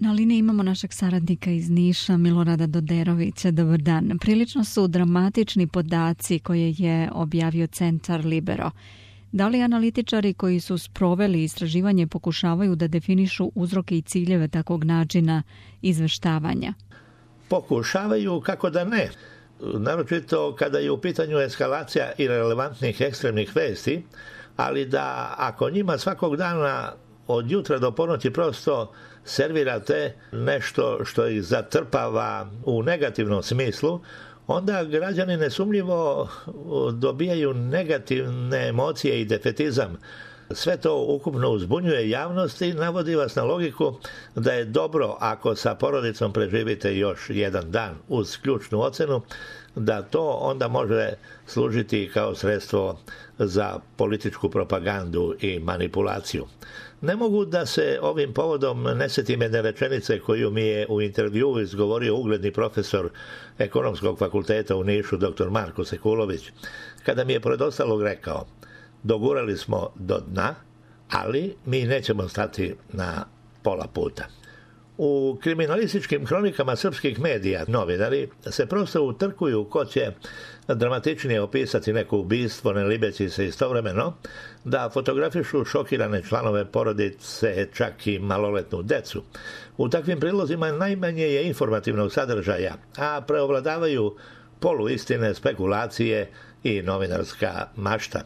Na liniji imamo našeg saradnika iz Niša, Milorada Doderovića. Dobar dan. Prilično su dramatični podaci koje je objavio Centar Libero. Da li analitičari koji su sproveli istraživanje pokušavaju da definišu uzroke i ciljeve takvog načina izveštavanja? Pokušavaju, kako da ne. Naročito kada je u pitanju eskalacija irelevantnih ekstremnih vesti, ali da ako njima svakog dana od jutra do ponoći prosto servirate nešto što ih zatrpava u negativnom smislu, onda građani nesumnjivo dobijaju negativne emocije i defetizam. Sve to ukupno uzbunjuje javnost i navodi vas na logiku da je dobro ako sa porodicom preživite još jedan dan uz ključnu ocenu, da to onda može služiti kao sredstvo za političku propagandu i manipulaciju. Ne mogu da se ovim povodom ne setim jedne rečenice koju mi je u intervjuu izgovorio ugledni profesor Ekonomskog fakulteta u Nišu, dr. Marko Sekulović, kada mi je pored ostalog rekao: dogurali smo do dna, ali mi nećemo stati na pola puta. U kriminalističkim hronikama srpskih medija novinari se prosto utrkuju ko će dramatičnije opisati neko ubistvo, ne libeći se istovremeno da fotografišu šokirane članove porodice, čak i maloletnu decu. U takvim prilozima najmanje je informativnog sadržaja, a preovladavaju poluistine, spekulacije i novinarska mašta.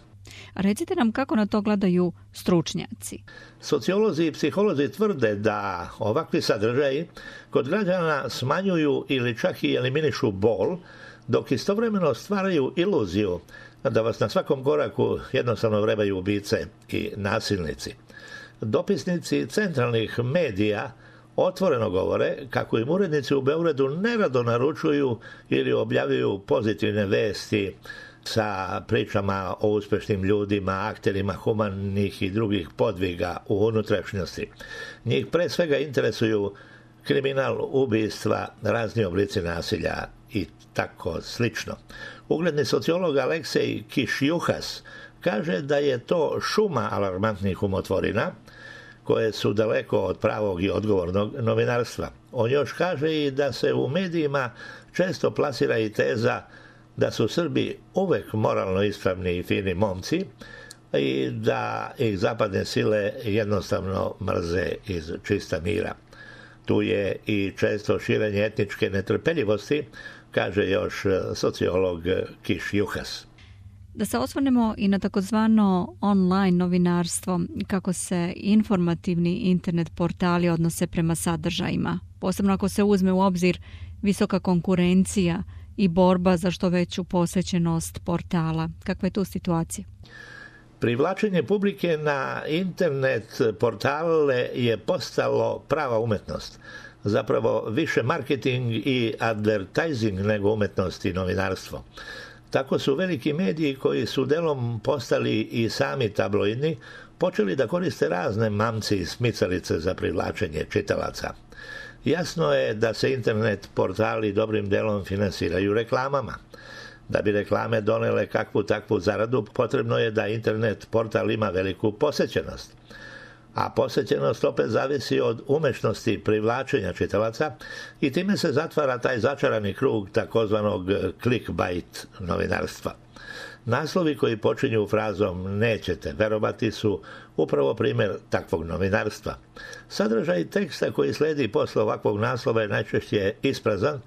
A recite nam kako na to gledaju stručnjaci. Sociolozi i psiholozi tvrde da ovakvi sadržaji kod građana smanjuju ili čak i eliminišu bol, dok istovremeno stvaraju iluziju da vas na svakom koraku jednostavno vrebaju ubice i nasilnici. Dopisnici centralnih medija otvoreno govore kako im urednici u Beogradu nerado naručuju ili objavljuju pozitivne vesti sa pričama o uspešnim ljudima, akterima humanih i drugih podviga u unutrašnjosti. Njih pre svega interesuju kriminal, ubistva, razni oblici nasilja i tako slično. Ugledni sociolog Aleksej Kišjuhas kaže da je to šuma alarmantnih umotvorina koje su daleko od pravog i odgovornog novinarstva. On još kaže i da se u medijima često plasira i teza da su Srbi uvek moralno ispravni i fini momci i da ih zapadne sile jednostavno mrze iz čista mira. Tu je i često širenje etničke netrpeljivosti, kaže još sociolog Kišjuhas. Da se osvrnemo i na takozvano online novinarstvo, kako se informativni internet portali odnose prema sadržajima, posebno ako se uzme u obzir visoka konkurencija i borba za što veću posvećenost portala. Kakva je tu situacija? Privlačenje publike na internet portale je postalo prava umetnost. Zapravo više marketing i advertising nego umetnost i novinarstvo. Tako su veliki mediji koji su delom postali i sami tabloidni počeli da koriste razne mamci i smicalice za privlačenje čitalaca. Jasno je da se internet portali dobrim delom finansiraju reklamama. Da bi reklame donele kakvu takvu zaradu, potrebno je da internet portal ima veliku posećenost. A posećenost opet zavisi od umešnosti privlačenja čitalaca i time se zatvara taj začarani krug takozvanog clickbait novinarstva. Naslovi koji počinju frazom "nećete verovati" su upravo primjer takvog novinarstva. Sadržaj teksta koji sledi posle ovakvog naslova je najčešće isprazan,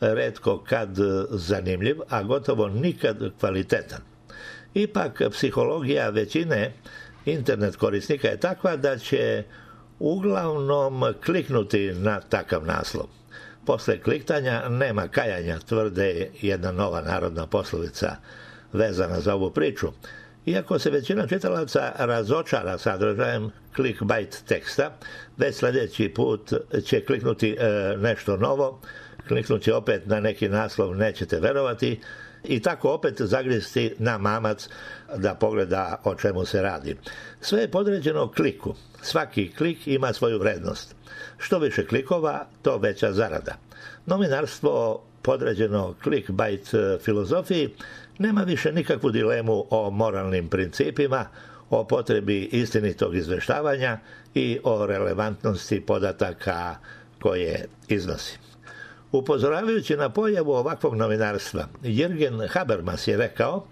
retko kad zanimljiv, a gotovo nikad kvalitetan. Ipak, psihologija većine internet korisnika je takva da će uglavnom kliknuti na takav naslov. Posle kliktanja nema kajanja, tvrde jedna nova narodna poslovica vezana za ovu priču. Iako se većina čitalaca razočara sadržajem clickbait teksta, već sljedeći put će kliknuti nešto novo, kliknuti opet na neki naslov "nećete verovati" i tako opet zagristi na mamac da pogleda o čemu se radi. Sve je podređeno kliku. Svaki klik ima svoju vrednost. Što više klikova, to veća zarada. Novinarstvo podređeno clickbait filozofiji nema više nikakvu dilemu o moralnim principima, o potrebi istinitog izveštavanja i o relevantnosti podataka koje iznosi. Upozoravajući na pojavu ovakvog novinarstva, Jürgen Habermas je rekao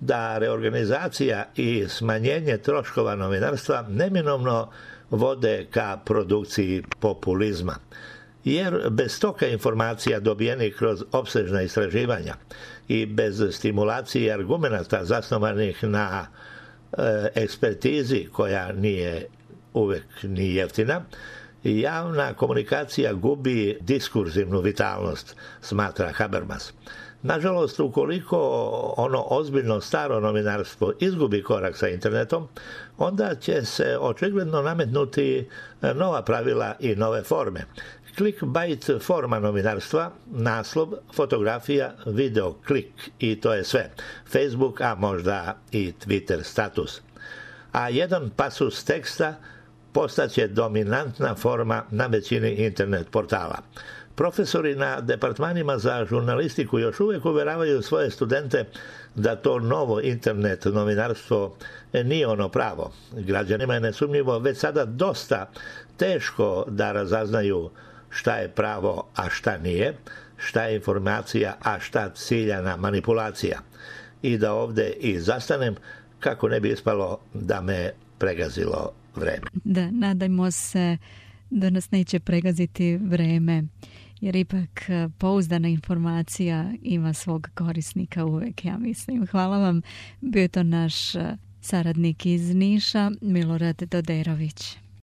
da reorganizacija i smanjenje troškova novinarstva neminovno vode ka produkciji populizma. Jer bez toka informacija dobijenih kroz opsežna istraživanja i bez stimulacije argumenata zasnovanih na ekspertizi koja nije uvek ni jeftina, javna komunikacija gubi diskurzivnu vitalnost, smatra Habermas. Nažalost, ukoliko ono ozbiljno staro novinarstvo izgubi korak sa internetom, onda će se očigledno nametnuti nova pravila i nove forme. Clickbait forma novinarstva, naslov, fotografija, video, klik i to je sve. Facebook, a možda i Twitter status. A jedan pasus teksta postaće dominantna forma na većini internet portala. Profesori na departmanima za žurnalistiku još uvijek uveravaju svoje studente da to novo internet novinarstvo nije ono pravo. Građanima je nesumnjivo već sada dosta teško da razaznaju šta je pravo, a šta nije, šta je informacija, a šta ciljana manipulacija. I da ovdje i zastanem kako ne bi ispalo da me pregazilo vreme. Da, nadajmo se da nas neće pregaziti vreme, jer ipak pouzdana informacija ima svog korisnika uvek, ja mislim. Hvala vam, bio je to naš saradnik iz Niša, Milorad Doderović.